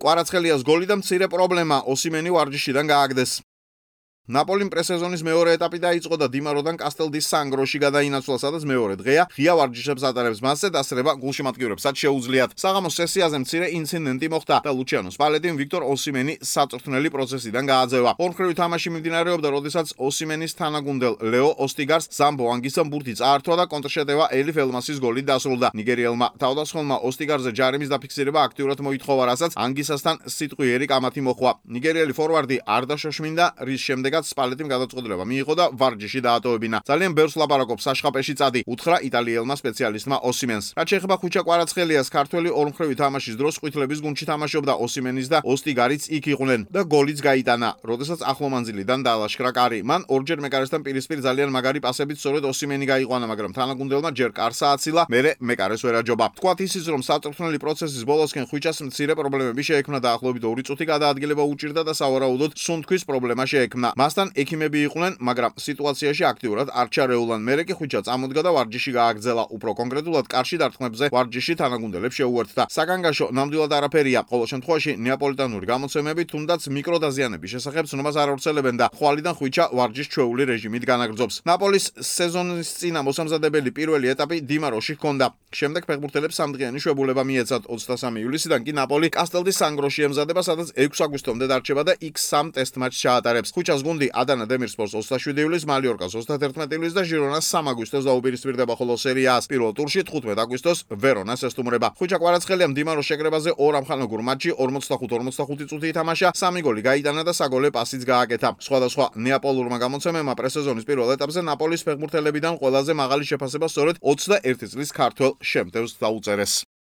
კვარაცხელიას გოლი და მცირე პრობლემა ოსიმენი ვარჯიშიდან გააგდეს. ნაპოლიმ პრესეზონის მეორე ეტაპი დაიწყო და დიმაროდან კასტელდის სანგროში გადაინაცვლა, სადაც მეორე დღეა ღია ვარჯიშებს ატარებს მასზე დასწრება გულშემატკივრებსაც შეუძლიათ. საღამოს სესიაზე მცირე ინციდენტი მოხდა და ლუჩიანო სპალეტიმ ვიქტორ ოსიმენი საწვრთნელი პროცესიდან გააძევა. ორმხრივი თამაში მიმდინარეობდა, როდესაც ოსიმენის თანაგუნდელ ლეო ოსტიგარს ზამბო ანგისამ ბურთი წაართვა და კონტრშეტევა ელიფ ელმასის გოლით დასრულდა. ნიგერიელმა თავდასხმელმა ოსტიგარზე ჯარიმის დაფიქსირება აქტიურად მოითხოვა, რასაც ანგისასთან სიტყვიერი კამათი მოხვა. ნიგერიელი ფორვარდი არ დაშოშმინდა, რის შემდეგ სპალეტიმ გადაწყვეტილება მიიღო და ვარჯიში დაატოვებინა. ძალიან ბევრს ლაპარაკობს საშხაპეში წადი, უთხრა იტალიელმა სპეციალისტმა ოსიმენს. რაც შეეხება ხუჩა კვარაცხელიას, ქართველი ორმხრივი თამაშის დროს ყვითლების გუნდში თამაშობდა, ოსიმენის და ოსტიგარიც იქ იყვნენ და გოლიც გაიტანა, როდესაც ახლო მანძილიდან დაალაშქრა კარი. მან ორჯერ მეკარესთან პირისპირ ძალიან მაგარი პასებით სწორედ ოსიმენი გაიყვანა, მაგრამ თანაგუნდელმა ჯერ კარს ააცილა, მერე მეკარეს ვერ აჯობა. თქვათ ისიც, რომ საწვრთნელი პროცესის ბოლოსკენ ხუჩას მცირე პრობლემები შეექმნა, დაახლოებით 2 წუთი გადაადგილება უჭირდა და სავარაუდოდ სუნთქვის პრობლემა შეექმნა. მასთან ექიმები იყვნენ, მაგრამ სიტუაციაში აქტიურად არ ჩარეულან. მერე კი ხუჩა წამოდგა და ვარჯიში გააგრძელა. უფრო კონკრეტულად კარში დარტყმებზე ვარჯიში თანაგუნდელებს შეუერთდა. საგანგაშო ნამდვილად არაფერია. ყოველ შემთხვევაში ნეაპოლიტანური გამოცემები თუნდაც მიკროდაზიანების შესახებ ცნობას არ ავრცელებენ და ხვალიდან ხუჩა ვარჯიშ ჩვეული რეჟიმით განაგრძობს. ნაპოლის სეზონის წინა მოსამზადებელი პირველი ეტაპი დიმაროში ჰქონდა. შემდეგ ფეხბურთელებს სამდღიანი შვებულება მიეცათ. 23 ივლისიდან კი ნაპოლი კასტელდის სანგროში ემზადება, სადაც 6 აგვისტომდე დარჩება და იქ 3 ტესტ მატჩს ჩაატარებს. ხუჩას გუნდი ადანა დემირსპორტს 27 ივლისს, მალიორკას 31 ივლისს და ჟირონას 3 აგვისტოს დაუპირისპირდება, ხოლო სერიას პირველ ტურში 15 აგვისტოს ვერონას ესტუმრება. ხუჩა კვარაცხელიამ დიმაროს შეკრებაზე 2 ამხანაგურ მატჩი 45-45 წუთი ითამაშა, 3 გოლი გაიტანა და საგოლე პასიც გააკეთა. სხვადასხვა ნეაპოლურმა გამოცემებმა პრესეზონის პირველ ეტაპზე ნაპოლის ფეხბურთელებიდან ყველაზე მაღალი შეფასება სწორედ 21 წლის ქართველ შემტევს დაუწერეს.